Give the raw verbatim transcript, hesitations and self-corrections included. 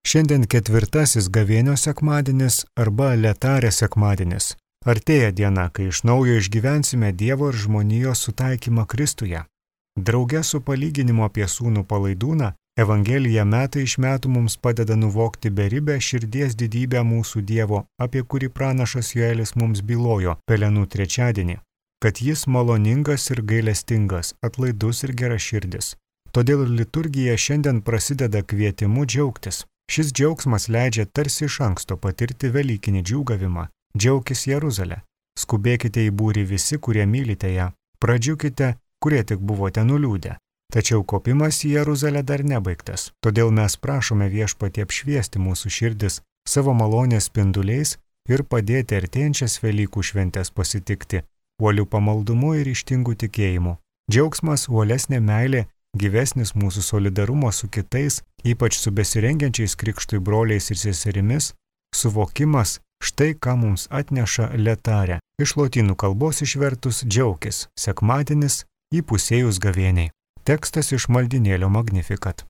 Šiandien ketvirtasis gavėnios sekmadienis arba Letarės sekmadienis. Artėja diena, kai iš naujo išgyvensime Dievo ir žmonijos sutaikymą Kristuje. Drauge su palyginimu apie sūnų palaidūną, Evangelija metai iš metų mums padeda nuvokti beribę širdies didybę mūsų Dievo, apie kurį pranašas Joelis mums bylojo Pelenų trečiadienį, kad jis maloningas ir gailestingas, atlaidus ir geraširdis. Todėl liturgija šiandien prasideda kvietimu džiaugtis. Šis džiaugsmas leidžia tarsi iš anksto patirti velykinį džiūgavimą. Džiaukis Jeruzalė. Skubėkite į būrį visi, kurie mylite ją. Pradžiukite, kurie tik buvote nuliūdę. Tačiau kopimas į Jeruzalę dar nebaigtas. Todėl mes prašome Viešpatį apšviesti mūsų širdis savo malonės spinduliais ir padėti artėjančias Velykų šventes pasitikti uolių pamaldumu ir ryžtingu tikėjimu. Džiaugsmas, uolesnė meilė, gyvesnis mūsų solidarumo su kitais, ypač su besirengiančiais krikštui broliais ir seserimis, suvokimas, štai ką mums atneša Letarė. Iš lotynų kalbos išvertus džiaukis, sekmadienis įpusėjus gavėniai. Tekstas iš maldynėlio Magnificat.